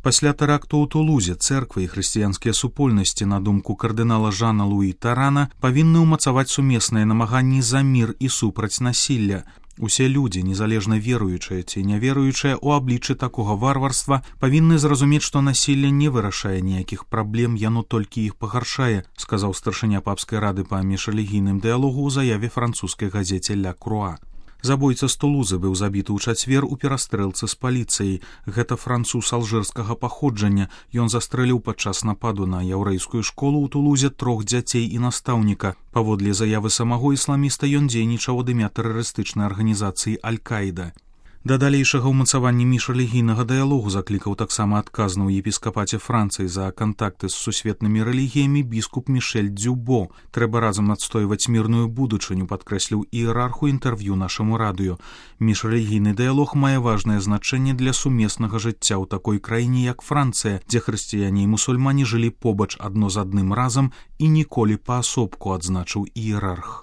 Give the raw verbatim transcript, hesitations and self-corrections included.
Пасля тэракту ў Тулузе цэрквы і хрысціянскія супольнасці, на думку кардынала Жана Луі Тарана, павінны ўмацаваць сумесныя намаганні за мір і супраць насілля. Усе людзі, незалежна веруючыя ці няверуючыя ў абліччы такога варварства, павінны зразумець, што насілле не вырашае ніякіх праблем, яно толькі іх пагаршае, сказаў старшыня папскай рады па міжрэлігійным дыялогу ў заяве французскай газеце «Ля Круа». Забойца з Тулузы быў забіты ў чацвер у перастрэлцы з паліцыяй. Гэта француз алжырскага паходжання. Ён застрэліў падчас нападу на яўрэйскую школу ў Тулузе трох дзяцей і настаўніка. Паводле заявы самого ісламіста ён дзейнічаў ад імя тэрарыстычнай арганізацыі Аль-Каіда. Да далейшага ўмацавання міжрэлігійнага дыялогу заклікаў таксама адказны ў епіскапаце Францыі за кантакты з сусветнымі рэлігіямі біскуп Мішэль Дзюбо. Трэба разам адстойваць мірную будучыню, падкрэсліў іерарху інтэрв'ю нашаму радыё. Міжрэлігійны дыялог мае важнае значэнне для сумеснага жыцця ў такой краіне, як Францыя, дзе хрысціяне і мусульмане жылі побач адно з адным разам і ніколі паасобку, адзначыў іерарх.